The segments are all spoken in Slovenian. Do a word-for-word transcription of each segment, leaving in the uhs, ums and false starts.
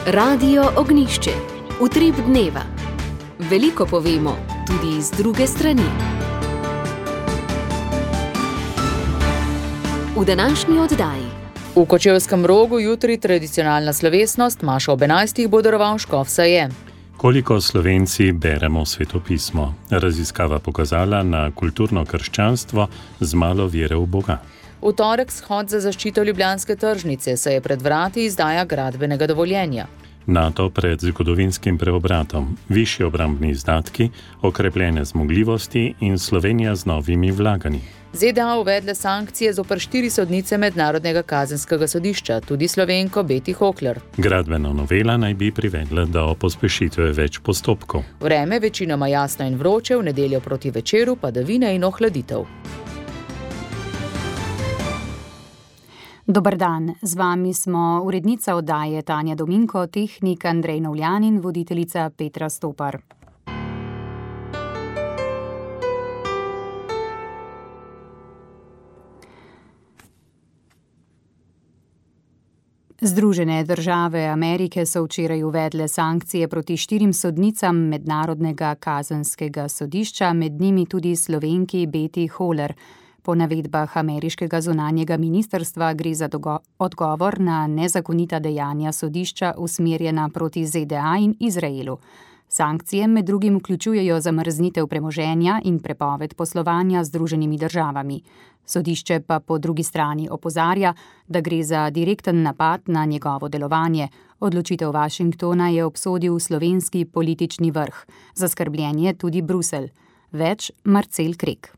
Radio Ognjišče, utrip dneva. Veliko povemo, tudi z druge strani. V današnji oddaji. V Kočevskem Rogu jutri tradicionalna slovesnost, maša ob enajstih bo daroval škof Saje. Koliko Slovenci beremo svetopismo? Raziskava pokazala na kulturno krščanstvo z malo vere v Boga. V torek shod za zaščito Ljubljanske tržnice, se je pred vrati izdaja gradbenega dovoljenja. NATO pred zgodovinskim preobratom, višji obrambni izdatki, okrepljene zmogljivosti in Slovenija z novimi vlaganji. ZDA uvedle sankcije zoper štiri sodnice Mednarodnega kazenskega sodišča, tudi Slovenko Beti Hokler. Gradbena novela naj bi privedla do pospešitve več postopkov. Vreme večinoma jasno in vroče, v nedeljo proti večeru padavine in ohladitev. Dober dan, z vami smo urednica oddaje Tanja Dominko, tehnik Andrej Novljan in voditeljica Petra Stopar. Združene države Amerike so včeraj uvedle sankcije proti štirim sodnicam Mednarodnega kazenskega sodišča, med njimi tudi Slovenki Beti Hokler. Po navedbah ameriškega zunanjega ministrstva gre za dogo- odgovor na nezakonita dejanja sodišča usmerjena proti ZDA in Izraelu. Sankcije med drugim vključujejo zamrznitev premoženja in prepoved poslovanja z Združenimi državami. Sodišče pa po drugi strani opozarja, da gre za direkten napad na njegovo delovanje. Odločitev Washingtona je obsodil slovenski politični vrh. Zaskrbljen je tudi Bruselj. Več Marcel Krek.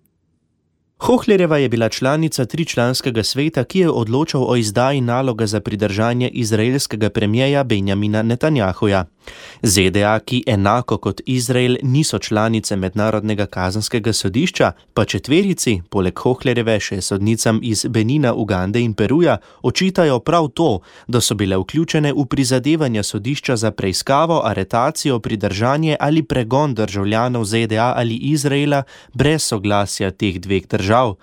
Hoklerjeva je bila članica tričlanskega sveta, ki je odločal o izdaji naloga za pridržanje izraelskega premijeja Benjamina Netanjahuja. ZDA, ki enako kot Izrael niso članice Mednarodnega kazenskega sodišča, pa četverici, poleg Hoklerjeve še sodnicam iz Benina, Ugande in Peruja, očitajo prav to, da so bile vključene v prizadevanja sodišča za preiskavo, aretacijo, pridržanje ali pregon državljanov ZDA ali Izraela brez soglasja teh dveh držav.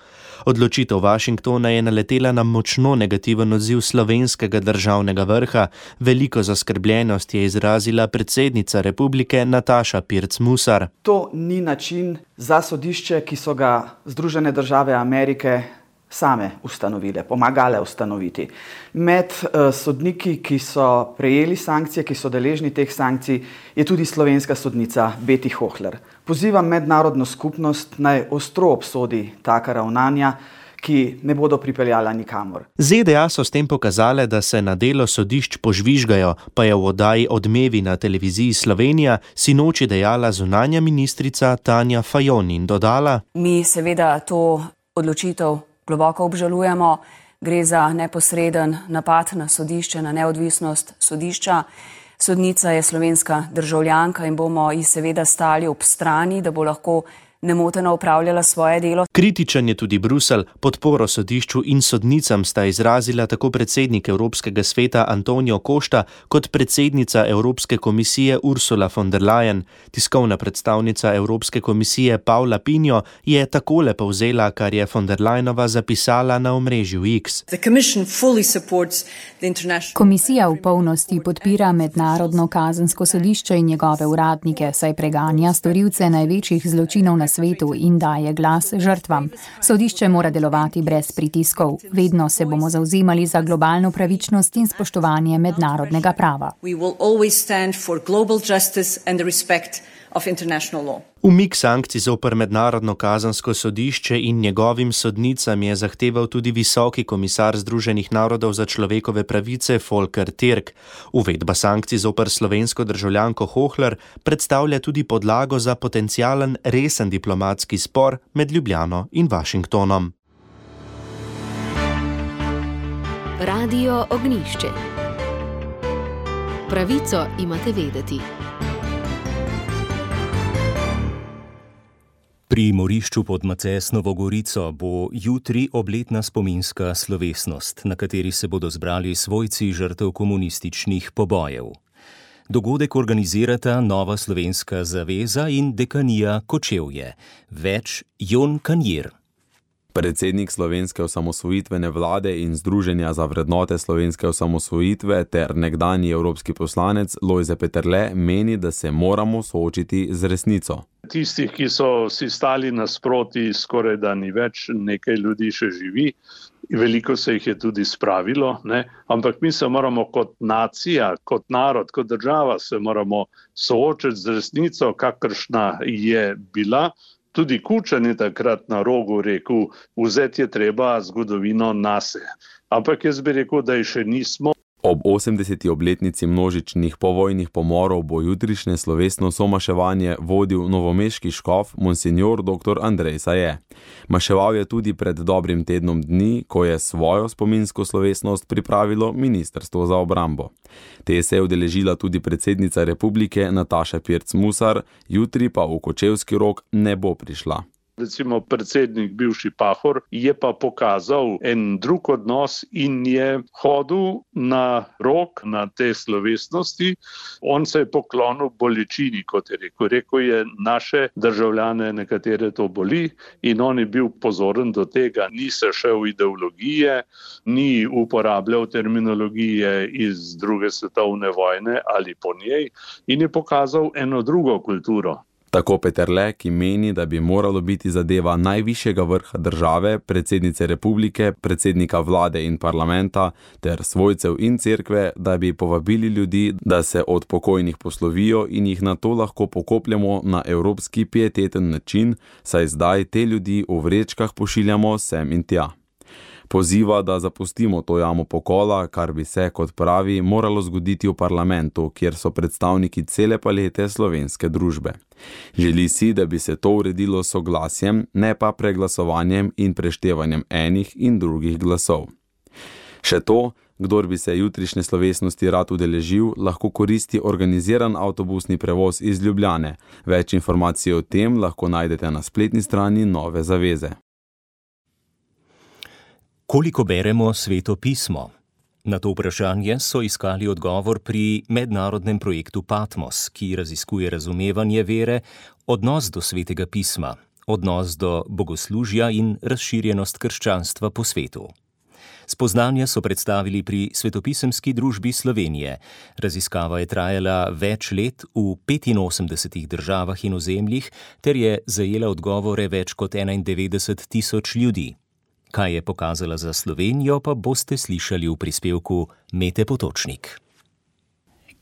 Odločitev Washingtona je naletela na močno negativen odziv slovenskega državnega vrha. Veliko zaskrbljenost je izrazila predsednica republike Nataša Pirc Musar. To ni način za sodišče, ki so ga Združene države Amerike same ustanovile, pomagale ustanoviti. Med uh, sodniki, ki so prejeli sankcije, ki so deležni teh sankcij, je tudi slovenska sodnica Beti Hokler. Pozivam mednarodno skupnost naj ostro obsodi taka ravnanja, ki ne bodo pripeljala nikamor. ZDA so s tem pokazale, da se na delo sodišč požvižgajo, pa je v oddaji Odmevi na televiziji Slovenija sinoči dejala zunanja ministrica Tanja Fajon in dodala: Mi seveda to odločitev globoko obžalujemo. Gre za neposreden napad na sodišče, na neodvisnost sodišča. Sodnica je slovenska državljanka in bomo ji seveda stali ob strani, da bo lahko nemoteno opravljala svoje delo. Kritičen je tudi Bruselj. Podporo sodišču in sodnicam sta izrazila tako predsednik Evropskega sveta Antonio Costa kot predsednica Evropske komisije Ursula von der Leyen. Tiskovna predstavnica Evropske komisije Paula Pinjo je takole povzela, kar je von der Leyenova zapisala na omrežju X. Komisija v polnosti podpira Mednarodno kazensko sodišče in njegove uradnike, saj preganja storilce največjih zločinov na svetu in daje glas žrtvam. Sodišče mora delovati brez pritiskov. Vedno se bomo zavzemali za globalno pravičnost in spoštovanje mednarodnega prava. Umik sankcij zoper Mednarodno kazensko sodišče in njegovim sodnicam je zahteval tudi visoki komisar Združenih narodov za človekove pravice Volker Türk. Uvedba sankcij zoper slovensko državljanko Hokler predstavlja tudi podlago za potencialen resen diplomatski spor med Ljubljano in Washingtonom. Radio Ognjišče. Pravico imate vedeti. Pri morišču pod Macesnovo Gorico bo jutri obletna spominska slovesnost, na kateri se bodo zbrali svojci žrtev komunističnih pobojev. Dogodek organizirata Nova slovenska zaveza in dekanija Kočevje. Več Jon Kanjir. Predsednik Slovenske osamosvojitvene vlade in Združenja za vrednote slovenske osamosvojitve ter nekdanji evropski poslanec Lojze Peterle meni, da se moramo soočiti z resnico. Tistih, ki so si stali nasproti, skoraj da ni več, nekaj ljudi še živi, veliko se jih je tudi spravilo, ne? Ampak mi se moramo kot nacija, kot narod, kot država se moramo soočiti z resnico, kakršna je bila. Tudi Kučan je takrat na Rogu rekel, vzeti je treba zgodovino nase. Ampak jaz bi rekel, da je še nismo. Ob osemdeseti obletnici množičnih povojnih pomorov bo jutrišnje slovesno somaševanje vodil novomeški škof monsinjor doktor Andrej Saje. Maševal je tudi pred dobrim tednom dni, ko je svojo spominsko slovesnost pripravilo Ministrstvo za obrambo. Te se je udeležila tudi predsednica republike Nataša Pirc Musar, jutri pa v Kočevski Rog ne bo prišla. Recimo predsednik, bivši Pahor, je pa pokazal en drug odnos in je hodil na Rog, na te slovesnosti. On se je poklonil bolečini, kot je rekel. Rekel je, naše državljane nekatere to boli in on je bil pozoren do tega. Ni se šel ideologije, ni uporabljal terminologije iz druge svetovne vojne ali po njej in je pokazal eno drugo kulturo. Tako Peterle, ki meni, da bi moralo biti zadeva najvišjega vrha države, predsednice republike, predsednika vlade in parlamenta ter svojcev in cerkve, da bi povabili ljudi, da se od pokojnih poslovijo in jih nato lahko pokopljamo na evropski pieteten način, saj zdaj te ljudi v vrečkah pošiljamo sem in tja. Poziva, da zapustimo to jamo pokola, kar bi se, kot pravi, moralo zgoditi v parlamentu, kjer so predstavniki cele palete slovenske družbe. Želi si, da bi se to uredilo s soglasjem, ne pa preglasovanjem in preštevanjem enih in drugih glasov. Še to, kdor bi se jutrišnje slovesnosti rad udeležil, lahko koristi organiziran avtobusni prevoz iz Ljubljane. Več informacij o tem lahko najdete na spletni strani Nove zaveze. Koliko beremo Sveto pismo? Na to vprašanje so iskali odgovor pri mednarodnem projektu Patmos, ki raziskuje razumevanje vere, odnos do Svetega pisma, odnos do bogoslužja in razširjenost krščanstva po svetu. Spoznanja so predstavili pri Svetopisemski družbi Slovenije. Raziskava je trajala več let v petinosemdesetih državah in ozemljih ter je zajela odgovore več kot enaindevetdeset tisoč ljudi. Kaj je pokazala za Slovenijo, pa boste slišali v prispevku Mete Potočnik.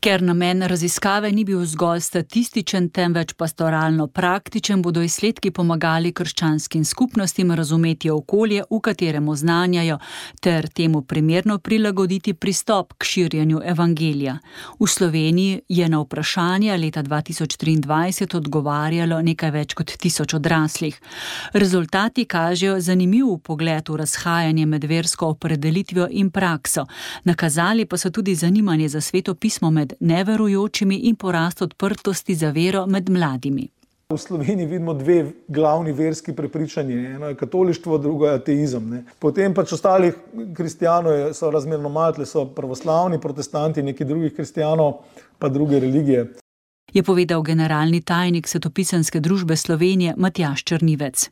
Ker namen raziskave ni bil zgolj statističen, temveč pastoralno praktičen, bodo izsledki pomagali krščanskim skupnostim razumeti okolje, v katerem oznanjajo, ter temu primerno prilagoditi pristop k širjenju evangelija. V Sloveniji je na vprašanja leta dva tisoč triindvajset odgovarjalo nekaj več kot tisoč odraslih. Rezultati kažejo zanimiv pogled v razhajanje med versko opredelitvijo in prakso. Nakazali pa so tudi zanimanje za Sveto pismo med neverujočimi in porast odprtosti za vero med mladimi. V Sloveniji vidimo dve glavni verski prepričanji. Eno je katolištvo, drugo je ateizem. Ne. Potem pač ostalih kristijanov so razmerno malo, so pravoslavni, protestanti, neki drugih kristijanov, pa druge religije. Je povedal generalni tajnik Svetopisemske družbe Slovenije Matjaž Črnivec.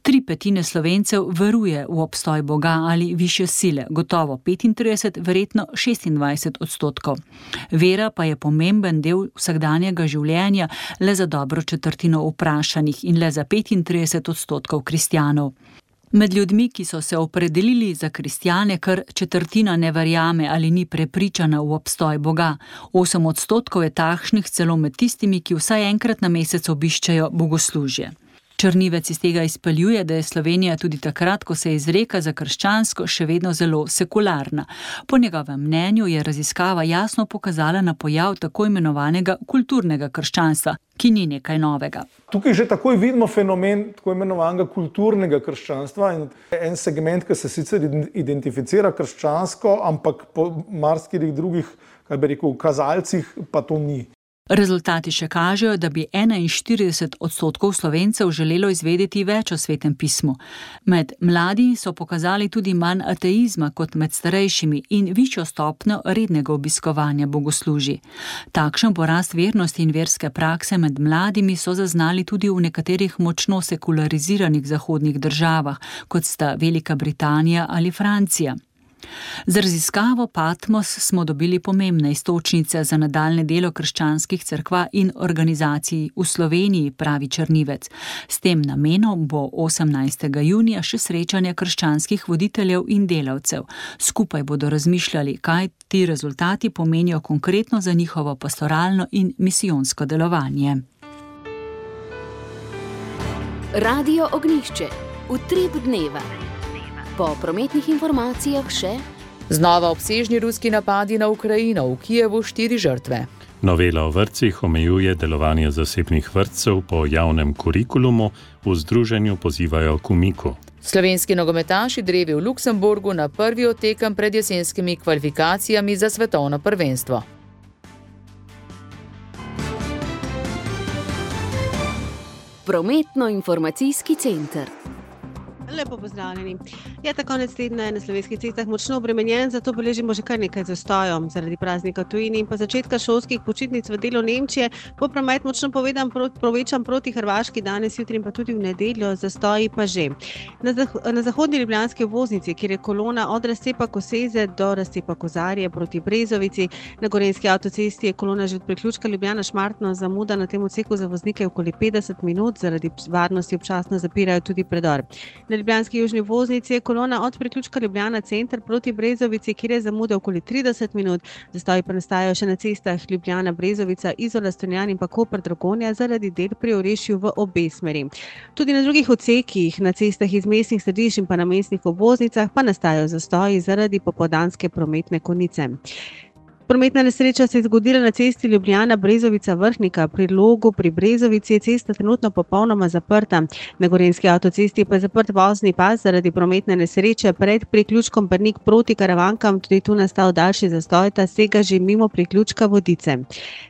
Tri petine Slovencev veruje v obstoj Boga ali višje sile, gotovo petintrideset, verjetno šestindvajset odstotkov. Vera pa je pomemben del vsakdanjega življenja le za dobro četrtino vprašanih in le za petintrideset odstotkov kristjanov. Med ljudmi, ki so se opredelili za kristjane, kar četrtina ne verjame ali ni prepričana v obstoj Boga. Osem odstotkov je takšnih celo med tistimi, ki vsaj enkrat na mesec obiščejo bogoslužje. Črnivec iz tega izpeljuje, da je Slovenija tudi takrat, ko se izreka za krščansko, še vedno zelo sekularna. Po njegovem mnenju je raziskava jasno pokazala na pojav tako imenovanega kulturnega krščanstva, ki ni nekaj novega. Tukaj že takoj vidimo fenomen tako imenovanega kulturnega krščanstva in en segment, ki se sicer identificira krščansko, ampak po marsikateri drugih, kaj bi rekel, kazalcih pa to ni. Rezultati še kažejo, da bi enainštirideset odstotkov Slovencev želelo izvedeti več o Svetem pismu. Med mladi so pokazali tudi manj ateizma kot med starejšimi in višjo stopnjo rednega obiskovanja bogoslužij. Takšen porast vernosti in verske prakse med mladimi so zaznali tudi v nekaterih močno sekulariziranih zahodnih državah, kot sta Velika Britanija ali Francija. Z raziskavo Patmos smo dobili pomembne iztočnice za nadaljne delo krščanskih cerkva in organizacij v Sloveniji, pravi Črnivec. S tem namenom bo osemnajstega junija še srečanje krščanskih voditeljev in delavcev. Skupaj bodo razmišljali, kaj ti rezultati pomenijo konkretno za njihovo pastoralno in misijonsko delovanje. Radio Ognjišče. Utrip dneva. Po prometnih informacijah še znova obsežni ruski napadi na Ukrajino, v Kijevu štiri žrtve. Novela o vrtcih omejuje delovanje zasebnih vrtcev po javnem kurikulumu, v združenju pozivajo k umiku. Slovenski nogometaši drevi v Luksemburgu na prvi od tekem pred jesenskimi kvalifikacijami za svetovno prvenstvo. Prometno-informacijski center. Lepo pozdravljeni. Je ta konec tedna je na slovenskih cestah močno obremenjen, zato beležimo že kar nekaj zastojev. Zaradi praznika v tujini in pa začetka šolskih počitnic v delu Nemčije bo promet močno povedan povečan proti Hrvaški danes, jutri in pa tudi v nedeljo, zastoji pa že. Na, zah na zahodni ljubljanski obvoznici, kjer je kolona od razcepa Koseze do razcepa Kozarje proti Brezovici, na Gorenjski avtocesti je kolona že od priključka Ljubljana-Šmartno, zamuda na tem odseku za voznike okoli petdeset minut, zaradi varnosti občasno zapirajo tudi predor. Na ljubljanski južni obvoznici je kolona od priključka Ljubljana center proti Brezovici, kjer je zamuda okoli trideset minut. Zastoji pa nastajajo še na cestah Ljubljana, Brezovica, Izola, Stonjan in pa Koper-Dragonja zaradi del pri Orešju v obe smeri. Tudi na drugih odsekih, na cestah iz mestnih središč in pa na mestnih obvoznicah pa nastajajo zastoji zaradi popoldanske prometne konice. Prometna nesreča se je zgodila na cesti Ljubljana-Brezovica-Vrhnika. Pri Logu pri Brezovici je cesta trenutno popolnoma zaprta. Na Gorenjski avtocesti pa je zaprt vozni pas zaradi prometne nesreče pred priključkom Brnik proti Karavankam. Tudi tu nastal daljši zastoj, ta sega že mimo priključka Vodice.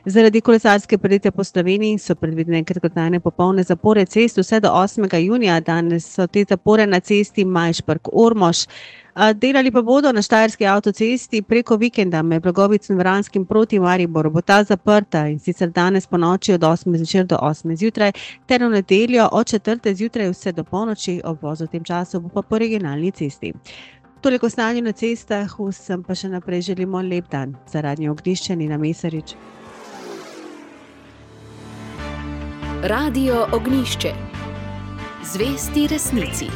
Zaradi kolesarske predite po Sloveniji so predvidene kratkotrajne popolne zapore cest vse do osmega junija. Danes so te zapore na cesti Majšperk-Ormož. Delali pa bodo na Štajerski avtocesti preko vikenda med Blagovicem in Vranskim proti Mariboru. Bo ta zaprta in sicer danes po noči od osme zvečer do osme zjutraj, ter v nedeljo od četrte zjutraj vse do polnoči, obvoz v tem času bo pa po regionalni cesti. Toliko stanje na cestah, vsem pa še naprej želimo lep dan. Za Radio Ognjišče, Nina Mesarič. Radio Ognjišče. Zvesti resnici.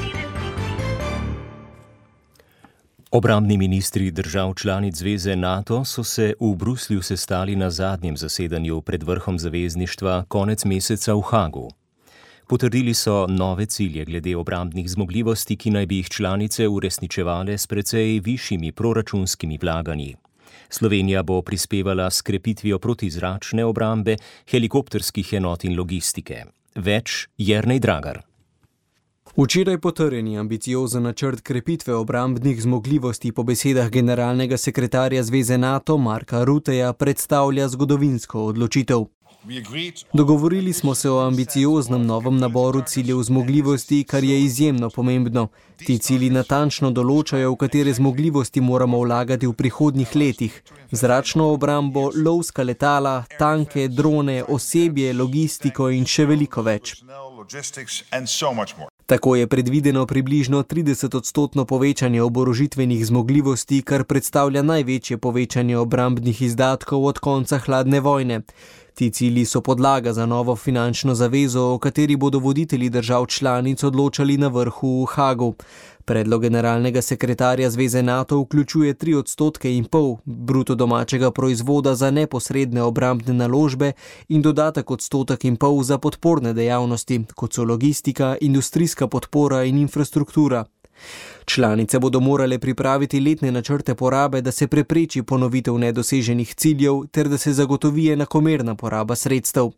Obrambni ministri držav članic zveze NATO so se v Bruslju sestali na zadnjem zasedanju pred vrhom zavezništva konec meseca v Hagu. Potrdili so nove cilje glede obrambnih zmogljivosti, ki naj bi jih članice uresničevale s precej višjimi proračunskimi vlaganji. Slovenija bo prispevala s krepitvijo protizračne obrambe, helikopterskih enot in logistike. Več Jernej Dragar. Včeraj potrjeni ambiciozen načrt krepitve obrambnih zmogljivosti po besedah generalnega sekretarja Zveze NATO Marka Rutteja predstavlja zgodovinsko odločitev. Dogovorili smo se o ambicioznem novem naboru ciljev zmogljivosti, kar je izjemno pomembno. Ti cilji natančno določajo, v katere zmogljivosti moramo vlagati v prihodnjih letih. Zračno obrambo, lovska letala, tanke, drone, osebje, logistiko in še veliko več. Tako je predvideno približno trideset odstotno povečanje oborožitvenih zmogljivosti, kar predstavlja največje povečanje obrambnih izdatkov od konca hladne vojne. Ti cilji so podlaga za novo finančno zavezo, o kateri bodo voditelji držav članic odločali na vrhu v Hagu. Predlog generalnega sekretarja Zveze NATO vključuje tri odstotke in pol bruto domačega proizvoda za neposredne obrambne naložbe in dodatek odstotek in pol za podporne dejavnosti, kot so logistika, industrijska podpora in infrastruktura. Članice bodo morale pripraviti letne načrte porabe, da se prepreči ponovitev nedoseženih ciljev ter da se zagotovi enakomerna poraba sredstev.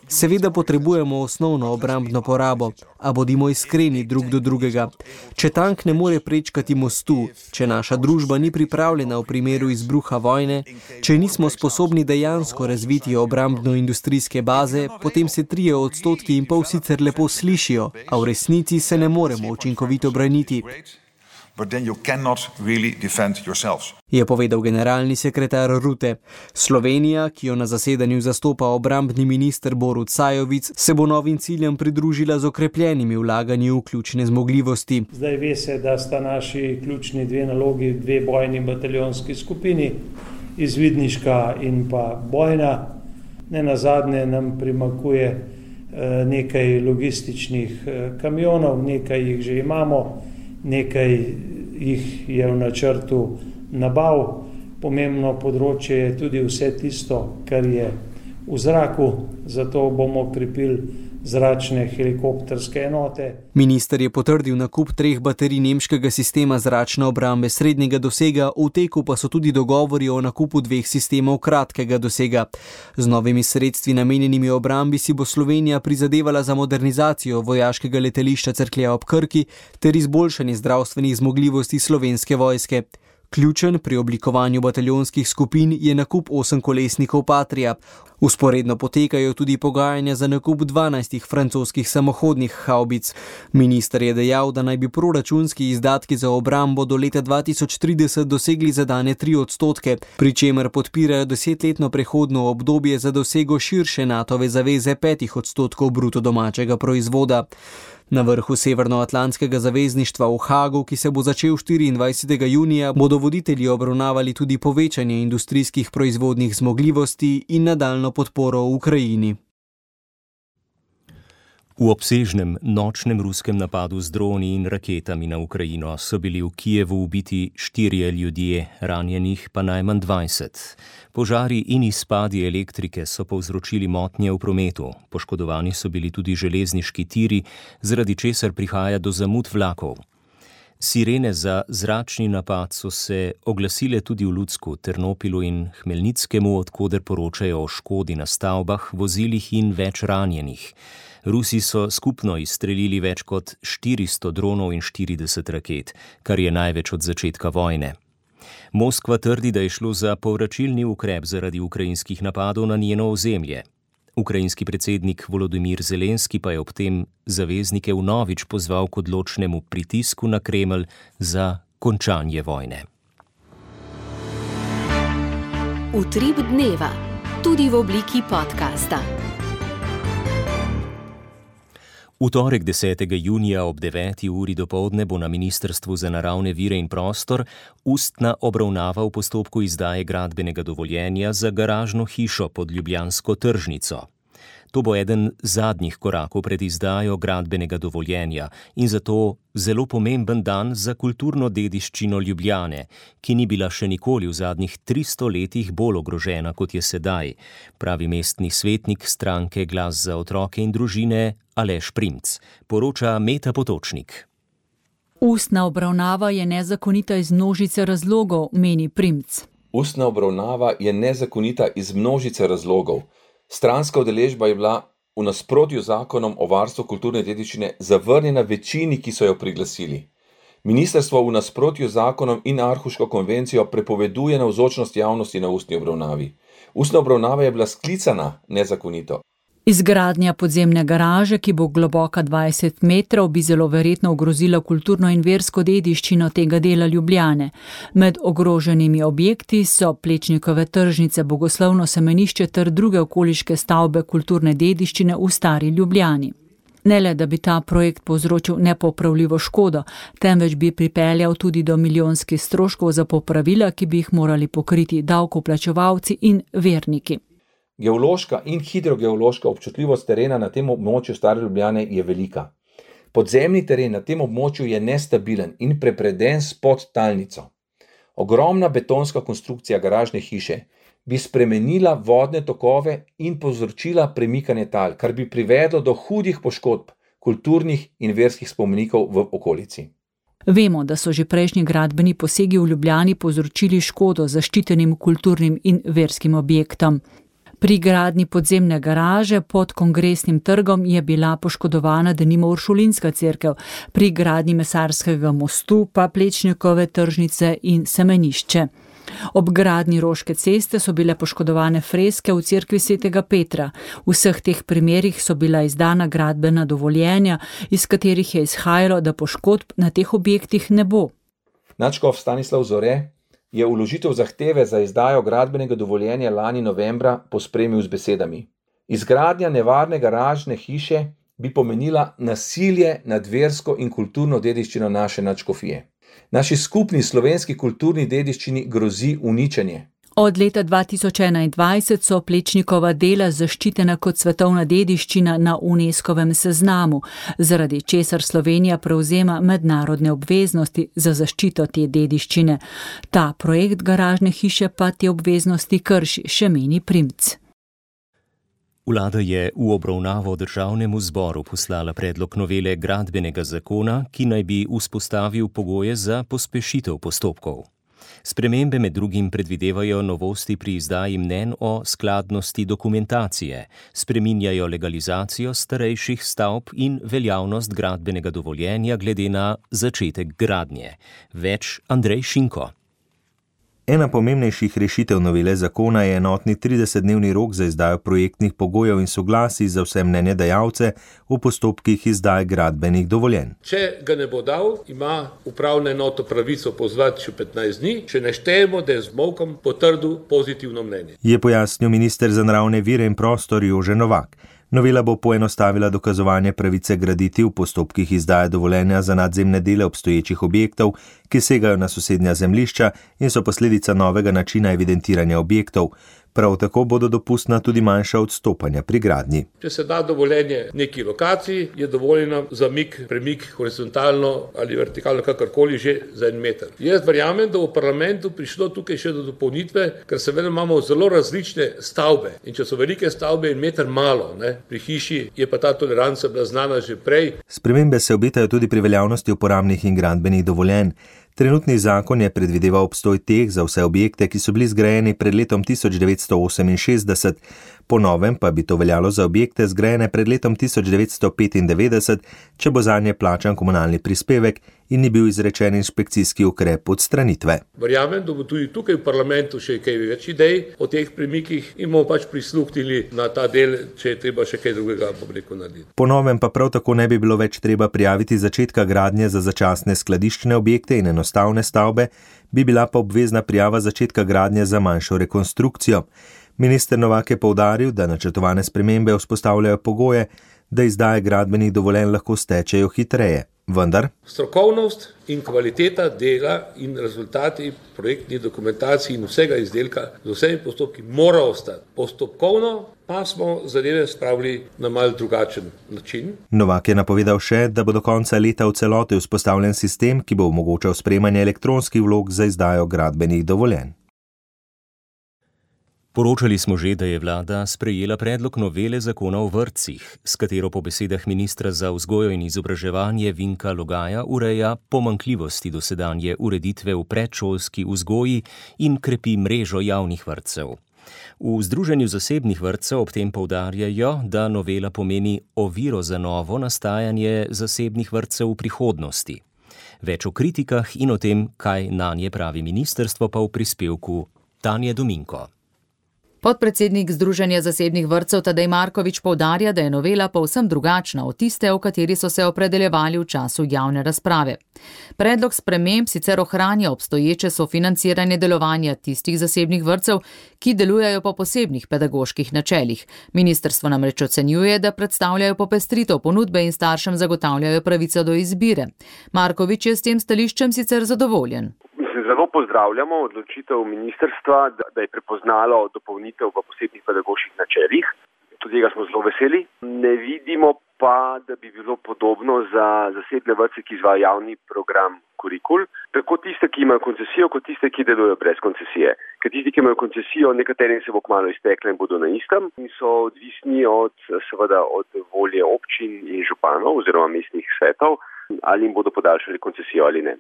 Seveda potrebujemo osnovno obrambno porabo, a bodimo iskreni drug do drugega. Če tank ne more prečkati mostu, če naša družba ni pripravljena v primeru izbruha vojne, če nismo sposobni dejansko razviti obrambno-industrijske baze, potem se trije odstotki in pol sicer lepo slišijo, a v resnici se ne moremo učinkovito braniti. But then you cannot really defend yourselves. Je povedal generalni sekretar Rutte. Slovenija, ki jo na zasedanju zastopa obrambni minister Borut Sajovic, se bo novim ciljem pridružila z okrepljenimi vlaganji v ključne zmogljivosti. Zdaj ve se, da sta naši ključni dve nalogi, dve bojni bataljonski skupini, izvidniška in pa bojna. Ne nazadnje nam primanjkuje nekaj logističnih kamionov, nekaj jih že imamo. Nekaj jih je v načrtu nabav. Pomembno področje je tudi vse tisto, kar je v zraku, zato bomo krepili zračne helikopterske enote. Minister je potrdil nakup treh baterij nemškega sistema zračne obrambe srednjega dosega, v teku pa so tudi dogovori o nakupu dveh sistemov kratkega dosega. Z novimi sredstvi namenjenimi obrambi si bo Slovenija prizadevala za modernizacijo vojaškega letališča Cerklje ob Krki ter izboljšanje zdravstvenih zmogljivosti Slovenske vojske. Ključen pri oblikovanju bataljonskih skupin je nakup osemkolesnikov Patria. Vzporedno potekajo tudi pogajanja za nakup dvanajstih francoskih samohodnih havbic. Minister je dejal, da naj bi proračunski izdatki za obrambo do leta dva tisoč trideset dosegli zadane tri odstotke, pri čemer podpirajo desetletno prehodno obdobje za dosego širše Natove zaveze petih odstotkov bruto domačega proizvoda. Na vrhu Severnoatlantskega zavezništva v Hagu, ki se bo začel štiriindvajsetega junija, bodo voditelji obravnavali tudi povečanje industrijskih proizvodnih zmogljivosti in nadaljno podporo v Ukrajini. V obsežnem nočnem ruskem napadu z droni in raketami na Ukrajino so bili v Kijevu ubiti štirje ljudje, ranjenih pa najmanj dvajset. Požari in izpadi elektrike so povzročili motnje v prometu. Poškodovani so bili tudi železniški tiri, zaradi česar prihaja do zamud vlakov. Sirene za zračni napad so se oglasile tudi v Lutsku, Ternopilu in Hmelnickemu, odkoder poročajo o škodi na stavbah, vozilih in več ranjenih. Rusi so skupno izstrelili več kot štiristo dronov in štirideset raket, kar je največ od začetka vojne. Moskva trdi, da je šlo za povračilni ukrep zaradi ukrajinskih napadov na njeno ozemlje. Ukrajinski predsednik Volodimir Zelenski pa je ob tem zaveznike vnovič pozval k odločnemu pritisku na Kremelj za končanje vojne. Utrip dneva, tudi v obliki podcasta. V torek desetega junija ob deveti uri dopoldne bo na Ministrstvu za naravne vire in prostor ustna obravnava v postopku izdaje gradbenega dovoljenja za garažno hišo pod ljubljansko tržnico. To bo eden zadnjih korakov pred izdajo gradbenega dovoljenja in zato zelo pomemben dan za kulturno dediščino Ljubljane, ki ni bila še nikoli v zadnjih tristo letih bolj ogrožena, kot je sedaj, pravi mestni svetnik stranke Glas za otroke in družine Aleš Primc, poroča Meta Potočnik. Ustna obravnava je nezakonita iz množice razlogov, meni Primc. Ustna obravnava je nezakonita iz množice razlogov. Stranska udeležba je bila v nasprotju z zakonom o varstvu kulturne dediščine zavrnjena večini, ki so jo priglasili. Ministrstvo v nasprotju z zakonom in Aarhuško konvencijo prepoveduje navzočnost javnosti na ustni obravnavi. Ustna obravnava je bila sklicana nezakonito. Izgradnja podzemne garaže, ki bo globoka dvajset metrov, bi zelo verjetno ogrozila kulturno in versko dediščino tega dela Ljubljane. Med ogroženimi objekti so Plečnikove tržnice, Bogoslovno semenišče ter druge okoliške stavbe kulturne dediščine v stari Ljubljani. Ne le, da bi ta projekt povzročil nepopravljivo škodo, temveč bi pripeljal tudi do milijonskih stroškov za popravila, ki bi jih morali pokriti davkoplačevalci in verniki. Geološka in hidrogeološka občutljivost terena na tem območju stare Ljubljane je velika. Podzemni teren na tem območju je nestabilen in prepreden s podtalnico. Ogromna betonska konstrukcija garažne hiše bi spremenila vodne tokove in povzročila premikanje tal, kar bi privedlo do hudih poškodb kulturnih in verskih spomenikov v okolici. Vemo, da so že prejšnji gradbeni posegi v Ljubljani povzročili škodo zaščitenim kulturnim in verskim objektom. Pri gradnji podzemne garaže pod Kongresnim trgom je bila poškodovana denimo Uršulinska cerkev, pri gradnji Mesarskega mostu pa Plečnikove tržnice in semenišče. Ob gradnji Roške ceste so bile poškodovane freske v cerkvi svetega Petra. V vseh teh primerih so bila izdana gradbena dovoljenja, iz katerih je izhajalo, da poškodb na teh objektih ne bo. Nadškof Stanislav Zore je vložitev zahteve za izdajo gradbenega dovoljenja lani novembra pospremil z besedami. Izgradnja nevarne garažne hiše bi pomenila nasilje nad versko in kulturno dediščino naše nadškofije. Naši skupni slovenski kulturni dediščini grozi uničenje. Od leta dva tisoč enaindvajset so Plečnikova dela zaščitena kot svetovna dediščina na UNESCOvem seznamu, zaradi česar Slovenija prevzema mednarodne obveznosti za zaščito te dediščine. Ta projekt garažne hiše pa te obveznosti krši, še meni Primc. Vlada je v obravnavo državnemu zboru poslala predlog novele gradbenega zakona, ki naj bi vzpostavil pogoje za pospešitev postopkov. Spremembe med drugim predvidevajo novosti pri izdaji mnenj o skladnosti dokumentacije, spreminjajo legalizacijo starejših stavb in veljavnost gradbenega dovoljenja glede na začetek gradnje. Več Andrej Šinko. Ena pomembnejših rešitev novele zakona je enotni tridesetdnevni rok za izdajo projektnih pogojev in soglasij za vse mnenjedajalce v postopkih izdaje gradbenih dovoljenj. Če ga ne bo dal, ima upravna enota pravico pozvati še petnajst dni, če ne štejemo, da je z molkom potrdil pozitivno mnenje. Je pojasnil minister za naravne vire in prostor Jože Novak. Novela bo poenostavila dokazovanje pravice graditi v postopkih izdaje dovoljenja za nadzemne dele obstoječih objektov, ki segajo na sosednja zemljišča in so posledica novega načina evidentiranja objektov. Prav tako bodo dopustna tudi manjša odstopanja pri gradnji. Če se da dovoljenje neki lokaciji, je dovoljena zamik, premik horizontalno ali vertikalno, kakorkoli že za en meter. Jaz verjamem, da v parlamentu prišlo tukaj še do dopolnitve, ker seveda imamo zelo različne stavbe. In če so velike stavbe in meter malo, ne, pri hiši je pa ta toleranca bila znana že prej. Spremembe se obetajo tudi pri veljavnosti uporabnih in gradbenih dovoljenj. Trenutni zakon je predvideval obstoj teh za vse objekte, ki so bili zgrajeni pred letom tisoč devetsto oseminšestdeset. Po novem pa bi to veljalo za objekte zgrajene pred letom tisoč devetsto petindevetdeset, če bo zanje plačan komunalni prispevek in ni bil izrečen inšpekcijski ukrep odstranitve. Verjamem, da bo tudi tukaj v parlamentu še kaj več idej o teh premikih in bomo pač prisluhnili na ta del, če je treba še kaj drugega pobreko narediti. Po novem pa prav tako ne bi bilo več treba prijaviti začetka gradnje za začasne skladiščne objekte in enostavne stavbe, bi bila pa obvezna prijava začetka gradnje za manjšo rekonstrukcijo. Minister Novak je poudaril, da načrtovane spremembe vzpostavljajo pogoje, da izdaje gradbenih dovoljenj lahko stečejo hitreje. Vendar strokovnost in kvaliteta dela in rezultati projektnih dokumentacij in vsega izdelka z vsemi postopki mora ostati. Postopkovno pa smo zadeve spravili na mal drugačen način. Novak je napovedal še, da bo do konca leta v celoti vzpostavljen sistem, ki bo omogočal sprejemanje elektronskih vlog za izdajo gradbenih dovoljenj. Poročali smo že, da je vlada sprejela predlog novele zakona o vrtcih, s katero po besedah ministra za vzgojo in izobraževanje Vinka Logaja ureja pomanjkljivosti dosedanje ureditve v predšolski vzgoji in krepi mrežo javnih vrtcev. V Združenju zasebnih vrtcev ob tem poudarjajo, da novela pomeni oviro za novo nastajanje zasebnih vrtcev v prihodnosti. Več o kritikah in o tem, kaj nanje pravi ministrstvo, pa v prispevku Tanje Dominko. Podpredsednik Združenja zasebnih vrtcev Tadej Markovič poudarja, da je novela povsem drugačna od tiste, o kateri so se opredeljevali v času javne razprave. Predlog sprememb sicer ohranja obstoječe sofinanciranje delovanja tistih zasebnih vrtcev, ki delujejo po posebnih pedagoških načelih. Ministrstvo namreč ocenjuje, da predstavljajo popestritev ponudbe in staršem zagotavljajo pravico do izbire. Markovič je s tem stališčem sicer zadovoljen. Zelo pozdravljamo odločitev ministrstva, da je prepoznalo dopolnitev v posebnih pedagoških načelih. Tudi tega smo zelo veseli. Ne vidimo pa, da bi bilo podobno za zasebne vrtce, ki izvajajo javni program Kurikul, tako tiste, ki imajo koncesijo, kot tiste, ki delujejo brez koncesije. Ker tisti, ki imajo koncesijo, nekaterim se bo kmalu iztekla in bodo na istem in so odvisni od, seveda, od volje občin in županov oziroma mestnih svetov, ali jim bodo podaljšali koncesijo ali ne.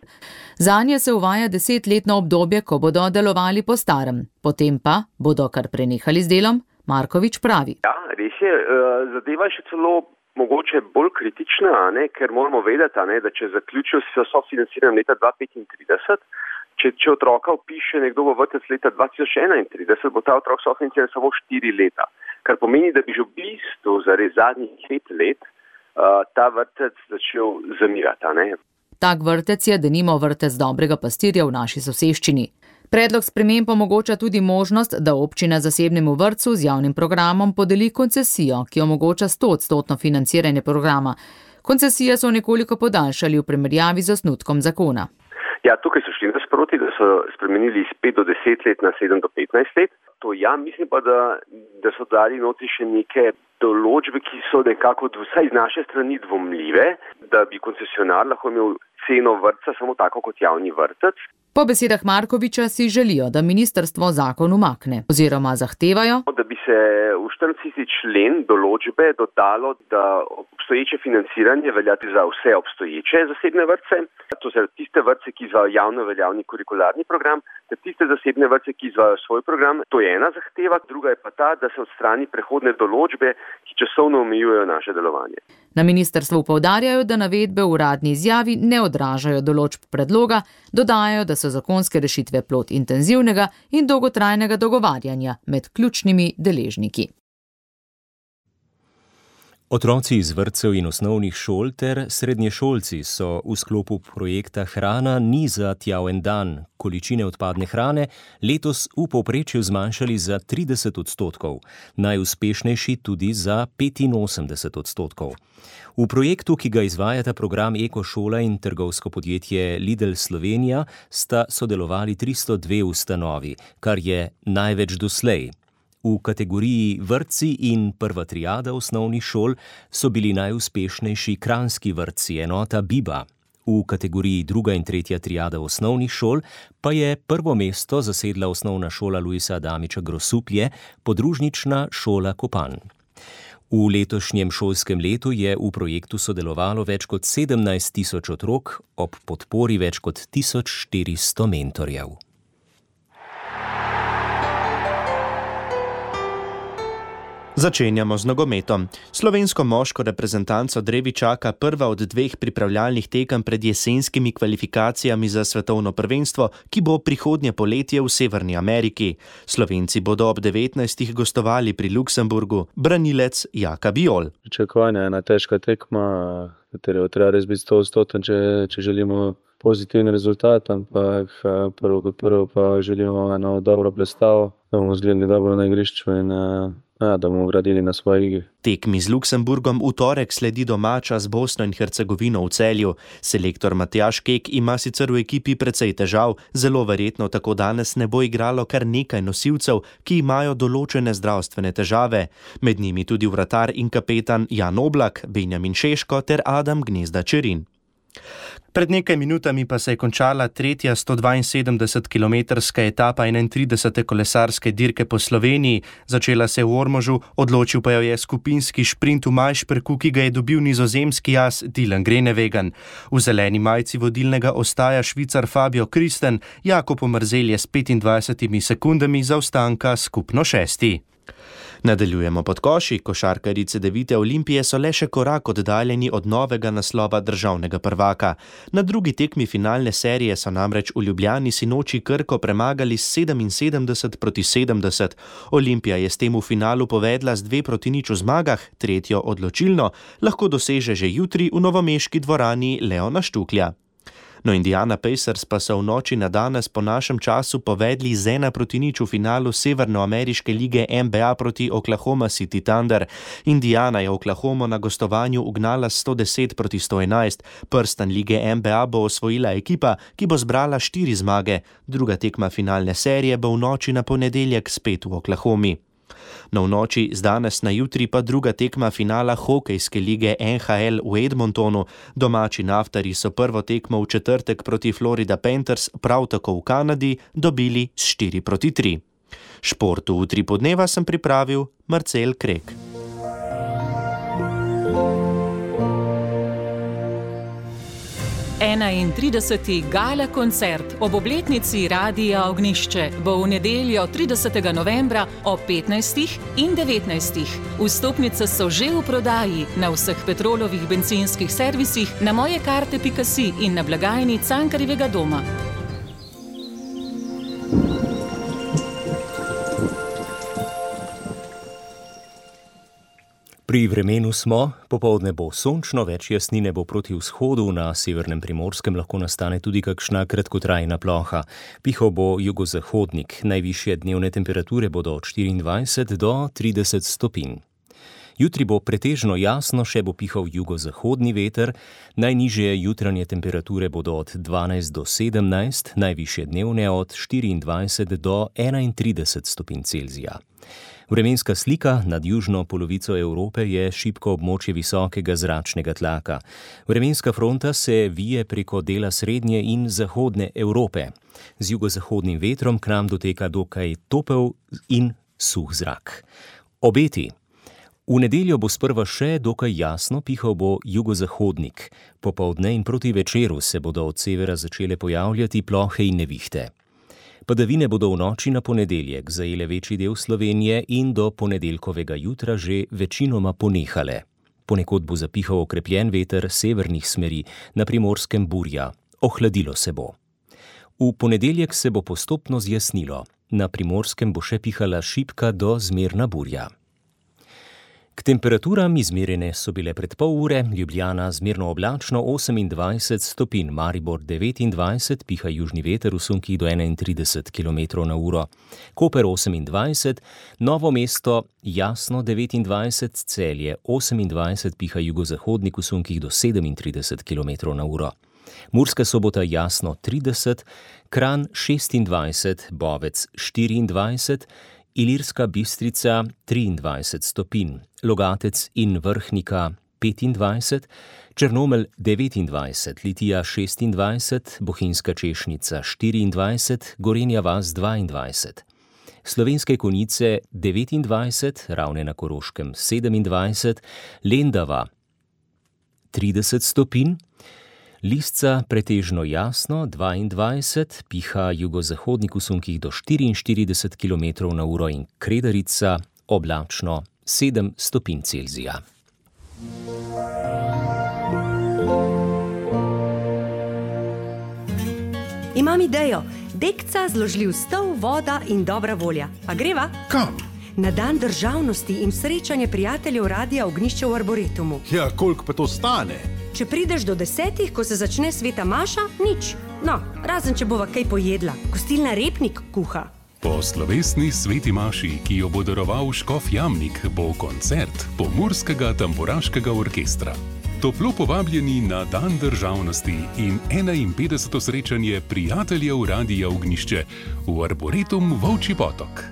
Zanje se uvaja desetletno obdobje, ko bodo delovali po starem. Potem pa bodo kar prenehali z delom, Markovič pravi. Ja, res je, zadeva je še celo mogoče bolj kritična, ne, ker moramo vedeti, ne, da če zaključijo se sofinanciranje leta dva tisoč petintrideset, če, če otroka vpiše nekdo v vrtec leta dva tisoč enaintrideset, bo ta otrok sofinanciran samo štiri leta, kar pomeni, da bi že v bistvu za zadnjih pet let uh, ta vrtec začel zamirati. Ne. Tak vrtec je denimo vrtec Dobrega pastirja v naši soseščini. Predlog sprememb omogoča tudi možnost, da občina zasebnemu vrtcu z javnim programom podeli koncesijo, ki omogoča stoodstotno financiranje programa. Koncesije so nekoliko podaljšali v primerjavi z osnutkom zakona. Ja, tukaj so šli nasproti, da so spremenili iz pet do deset let na sedem do petnajst let. To ja, mislim pa, da, da so dali noti še neke določbe, ki so nekako vsaj z naše strani dvomljive, da bi koncesionar lahko imel ceno vrtca samo tako kot javni vrtec. Po besedah Markoviča si želijo, da ministrstvo zakon umakne oziroma zahtevajo, da bi se v štiriintrideset člen določbe dodalo, da obstoječe financiranje veljati za vse obstoječe zasebne vrtce, to so tiste vrtce, ki izvajajo javno veljavni kurikularni program, ter tiste zasebne vrtce, ki izvajajo svoj program. To je ena zahteva, druga je pa ta, da se odstrani prehodne določbe, ki časovno omejujejo naše delovanje. Na ministrstvu poudarjajo, da navedbe v uradni izjavi ne odražajo določb predloga, dodajajo, da so zakonske rešitve plod intenzivnega in dolgotrajnega dogovarjanja med ključnimi deležniki. Otroci iz vrtcev in osnovnih šol ter srednješolci so v sklopu projekta Hrana ni za tjav en dan količine odpadne hrane letos v povprečju zmanjšali za trideset odstotkov, najuspešnejši tudi za petinosemdeset odstotkov. V projektu, ki ga izvajata program Ekošola in trgovsko podjetje Lidl Slovenija, sta sodelovali tristo dve ustanovi, kar je največ doslej. V kategoriji vrtci in prva triada osnovnih šol so bili najuspešnejši kranjski vrtci, enota Biba. V kategoriji druga in tretja triada osnovnih šol pa je prvo mesto zasedla osnovna šola Luisa Adamiča Grosuplje, podružnična šola Kopan. V letošnjem šolskem letu je v projektu sodelovalo več kot sedemnajst tisoč otrok, ob podpori več kot tisoč štiristo mentorjev. Začenjamo z nogometom. Slovensko moško reprezentanco drevi čaka prva od dveh pripravljalnih tekem pred jesenskimi kvalifikacijami za svetovno prvenstvo, ki bo prihodnje poletje v Severni Ameriki. Slovenci bodo ob devetnajstih gostovali pri Luksemburgu. Branilec Jaka Bijol. Pričakovanje je ena težka tekma, katero treba res biti stoodstoten, če, če želimo pozitivni rezultat, ampak prvo kot prvo pa želimo eno dobro predstavo, da bomo zgledali dobro na igrišču in ja, da bomo gradili na svoji igri. Tekmi z Luksemburgom v torek sledi domača z Bosno in Hercegovino v Celju. Selektor Matjaž Kek ima sicer v ekipi precej težav, zelo verjetno tako danes ne bo igralo kar nekaj nosilcev, ki imajo določene zdravstvene težave. Med njimi tudi vratar in kapetan Jan Oblak, Benjamin Šeško ter Adam Gnezda Čerin. Pred nekaj minutami pa se je končala tretja sto dvainsedemdesetkilometrska etapa enaintridesete kolesarske dirke po Sloveniji. Začela se je v Ormožu, odločil pa jo je skupinski šprint v Majšperku, ki ga je dobil nizozemski as Dylan Groenewegen. V zeleni majci vodilnega ostaja Švicar Fabio Kristen, Jakob Omerzel je s petindvajsetimi sekundami zaostanka skupno šesti. Nadaljujemo pod koši. Košarkarice Devite Olimpije so le še korak oddaljeni od novega naslova državnega prvaka. Na drugi tekmi finalne serije so namreč v Ljubljani sinoči Krko premagali s sedeminsedemdeset proti sedemdeset. Olimpija je s tem v finalu povedla z dve proti nič v zmagah, tretjo odločilno lahko doseže že jutri v novomeški dvorani Leona Štuklja. No, Indiana Pacers pa so v noči na danes po našem času povedli z ena proti nič v finalu Severnoameriške lige N B A proti Oklahoma City Thunder. Indiana je Oklahomo na gostovanju ugnala sto deset proti sto enajst. Prstan lige N B A bo osvojila ekipa, ki bo zbrala štiri zmage. Druga tekma finalne serije bo v noči na ponedeljek spet v Oklahomi. No, v noči z danes na jutri pa druga tekma finala hokejske lige N H L v Edmontonu. Domači Naftari so prvo tekmo v četrtek proti Florida Panthers, prav tako v Kanadi, dobili s štiri proti tri. Športu v tri podneva sem pripravil Marcel Krek. enaintrideseti gala koncert ob obletnici Radia Ognjišče bo v nedeljo tridesetega novembra ob petnajstih in devetnajstih. Vstopnice so že v prodaji na vseh Petrolovih bencinskih servisih, na mojekarte pika si in na blagajni Cankarjevega doma. Pri vremenu smo, popoldne bo sončno, več jasnine bo proti vzhodu, na severnem Primorskem lahko nastane tudi kakšna kratkotrajna ploha. Pihal bo jugozahodnik, najvišje dnevne temperature bodo od štiriindvajset do trideset stopinj. Jutri bo pretežno jasno, še bo pihal jugozahodni veter, najnižje jutranje temperature bodo od dvanajst do sedemnajst, najvišje dnevne od štiriindvajset do enaintrideset stopinj Celzija. Vremenska slika nad južno polovico Evrope je šibko območje visokega zračnega tlaka. Vremenska fronta se vije preko dela srednje in zahodne Evrope. Z jugozahodnim vetrom k nam doteka dokaj topel in suh zrak. Obeti. V nedeljo bo sprva še dokaj jasno, pihal bo jugozahodnik. Popoldne in proti večeru se bodo od severa začele pojavljati plohe in nevihte. Padavine bodo v noči na ponedeljek zajele večji del Slovenije in do ponedeljkovega jutra že večinoma ponehale. Ponekod bo zapihal okrepljen veter severnih smeri, na Primorskem burja. Ohladilo se bo. V ponedeljek se bo postopno zjasnilo. Na Primorskem bo še pihala šibka do zmerna burja. K temperaturam izmerjene so bile pred pol ure, Ljubljana zmerno oblačno osemindvajset stopinj, Maribor devetindvajset, piha južni veter v sunkih do enaintrideset kilometrov na uro, Koper osemindvajset, Novo mesto jasno devetindvajset, Celje osemindvajset, piha jugozahodnik v sunkih do sedemintrideset kilometrov na uro. Murska Sobota jasno trideset, Kranj šestindvajset, Bovec štiriindvajset, Ilirska Bistrica triindvajset stopinj, Logatec in Vrhnika petindvajset, Črnomelj devetindvajset, Litija šestindvajset, Bohinjska Češnica štiriindvajset, Gorenja vas dvaindvajset. Slovenske Konjice devetindvajset, Ravne na Koroškem sedemindvajset, Lendava trideset stopinj, Lisca pretežno jasno dvaindvajset, piha jugozahodnik v sunkih do štiriinštirideset kilometrov na uro in Kredarica oblačno sedem stopinj Celzija. Imam idejo, dekca, zložljiv stol, voda in dobra volja. Pa greva? Kam? Na dan državnosti in srečanje prijateljev Radia Ognjišče v Arboretumu. Ja, koliko pa to stane? Če prideš do desetih, ko se začne sveta maša, nič. No, razen če bova kaj pojedla. Gostilna Repnik kuha. Po slovesni sveti maši, ki jo bo daroval škof Jamnik, bo koncert Pomurskega tamburaškega orkestra. Toplo povabljeni na dan državnosti in enainpetdeseto srečanje prijateljev Radia Ognjišče v Arboretum Volčji Potok.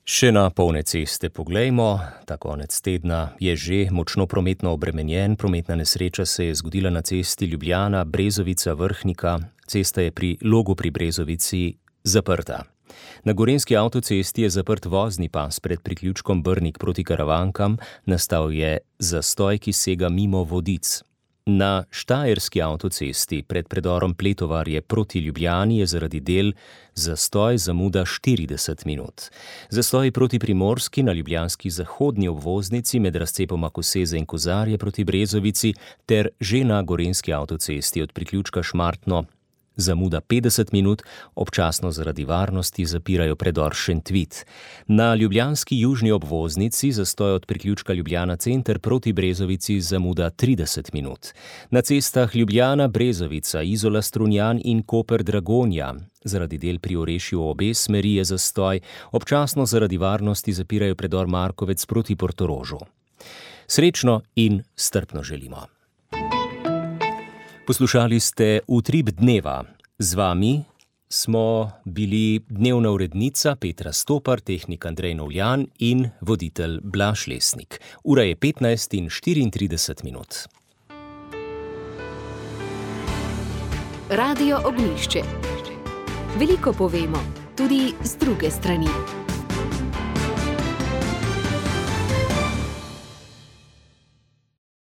Še na polne ceste poglejmo, ta konec tedna je že močno prometno obremenjen, prometna nesreča se je zgodila na cesti Ljubljana, Brezovica, Vrhnika, cesta je pri Logu pri Brezovici zaprta. Na gorenjski avtocesti je zaprt vozni pas pred priključkom Brnik proti Karavankam, nastal je zastoj, ki sega mimo Vodic. Na štajerski avtocesti pred predorom Pletovarje proti Ljubljani je zaradi del zastoj zamuda štirideset minut. Zastoj proti Primorski na ljubljanski zahodni obvoznici med razcepoma Koseze in Kozarje proti Brezovici ter že na gorenjski avtocesti od priključka Šmartno zamuda petdeset minut, občasno zaradi varnosti zapirajo predor Šentvit. Na ljubljanski južni obvoznici zastoj od priključka Ljubljana center proti Brezovici zamuda trideset minut. Na cestah Ljubljana, Brezovica, Izola, Strunjan in Koper Dragonja zaradi del pri Orešju obe smeri je zastoj, občasno zaradi varnosti zapirajo predor Markovec proti Portorožu. Srečno in strpno želimo. Poslušali ste Utrip dneva. Z vami smo bili dnevna urednica Petra Stopar, tehnik Andrej Novljan in voditelj Blaž Lesnik. Ura je petnajst in štiriintrideset minut. Radio Ognjišče. Veliko povemo, tudi z druge strani.